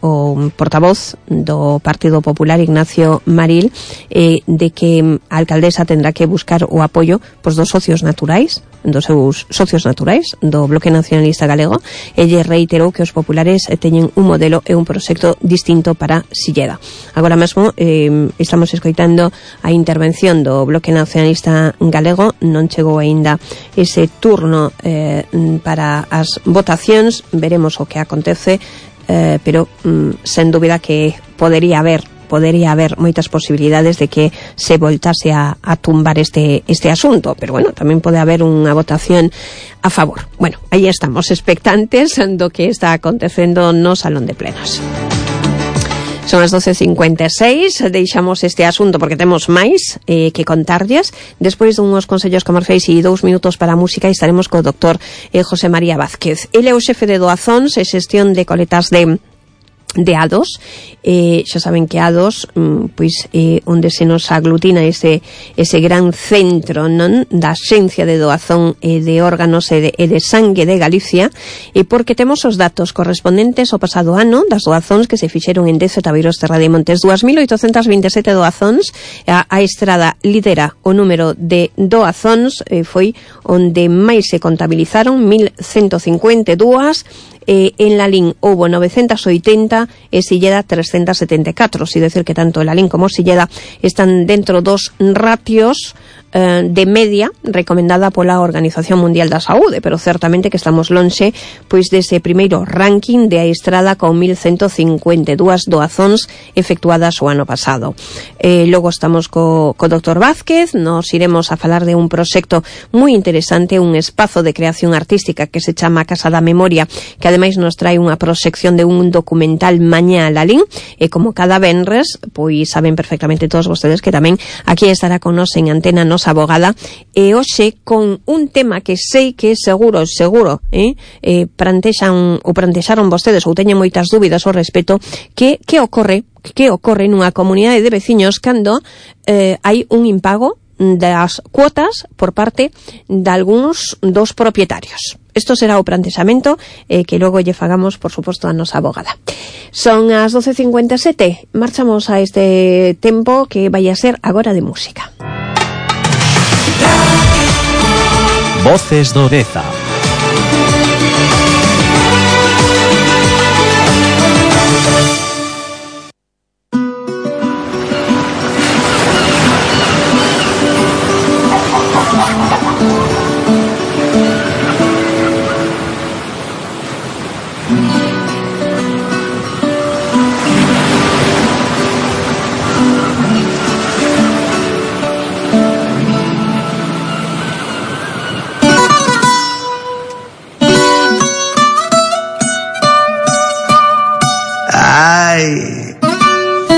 o portavoz do Partido Popular, Ignacio Maril, de que a alcaldesa tendrá que buscar o apoio dos socios naturais, dos seus socios naturais do Bloque Nacionalista Galego, e lle reiterou que os populares teñen un modelo e un proxecto distinto para Silleda. Agora mesmo estamos escoitando a intervención do Bloque Nacionalista Galego, non chegou aínda ese turno para as votacións, veremos o que acontece, pero sen dúbida que podería haber moitas posibilidades de que se voltase a tumbar este asunto, pero bueno, tamén pode haber unha votación a favor. Bueno, aí estamos expectantes do que está acontecendo no Salón de Plenos. Son as 12:56, deixamos este asunto porque temos máis que contarlles. Despois dunhos consellos comerciais e 2 minutos para a música estaremos co doctor José María Vázquez. Ele é o xefe de doazóns e xestión de coletas de A2, xa saben que A2 pois onde se nos aglutina ese gran centro, non, da Axencia de Doazón de Órganos e de Sangue de Galicia, e porque temos os datos correspondentes ao pasado ano das doazóns que se fixeron en 10 Tabeiros, Terra de Montes, 2.827 doazóns. A Estrada lidera o número de doazóns, foi onde máis se contabilizaron, 1.152. En Lalín houbo 980 e Silleda 374, si decir que tanto Lalín como Silleda están dentro dos ratios de media recomendada pola Organización Mundial da Saúde, pero certamente que estamos lonxe pois dese primeiro ranking de A Estrada con 1.152 doazóns efectuadas o ano pasado. Logo estamos co Dr. Vázquez, nos iremos a falar de un proxecto moi interesante, un espazo de creación artística que se chama Casa da Memoria, que ademais nos trae unha proxección de un documental Mañá a Lalín, e como cada venres, pois saben perfectamente todos vostedes que tamén aquí estará con nos en antena nos abogada, e hoxe con un tema que sei que seguro plantexaron vostedes ou teñen moitas dúbidas ao respecto, que ocorre nunha comunidade de veciños cando hai un impago das cuotas por parte de algúns dos propietarios. Isto será o plantexamento que logo lle fagamos, por suposto, a nosa abogada. Son as 12:57, marchamos a este tempo que vai a ser agora de música. Voces do Deza.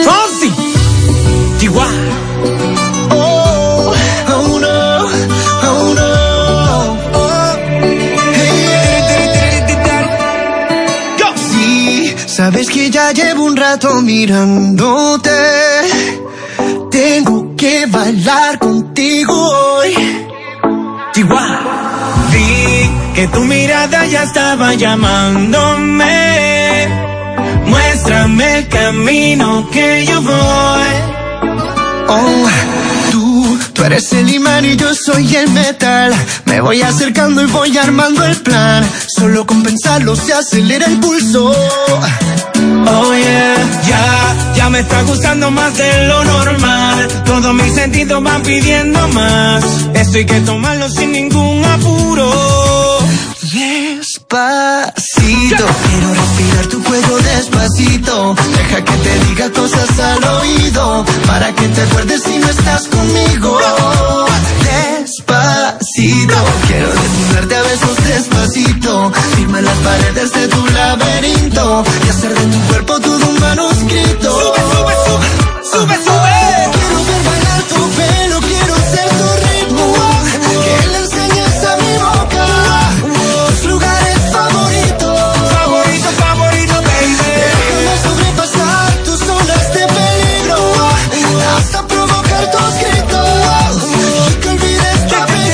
Fonsi, Chihuahua. Oh, oh no, oh no. Go. Sí, sabes que ya llevo un rato mirándote. Tengo que bailar contigo hoy. Chihuahua. Vi que tu mirada ya estaba llamándome. Muéstrame el camino que yo voy. Oh, Tú eres el imán y yo soy el metal. Me voy acercando y voy armando el plan. Solo con pensarlo se acelera el pulso. Oh yeah, ya me está gustando más de lo normal. Todos mis sentidos van pidiendo más. Esto hay que tomarlo sin ningún apuro. Despacito, quiero respirar tu cuello despacito. Deja que te diga cosas al oído, para que te acuerdes si no estás conmigo. Despacito, quiero desnudarte a besos despacito. Firma las paredes de tu laberinto y hacer de tu cuerpo todo un manuscrito. Sube, sube, sube, sube, sube.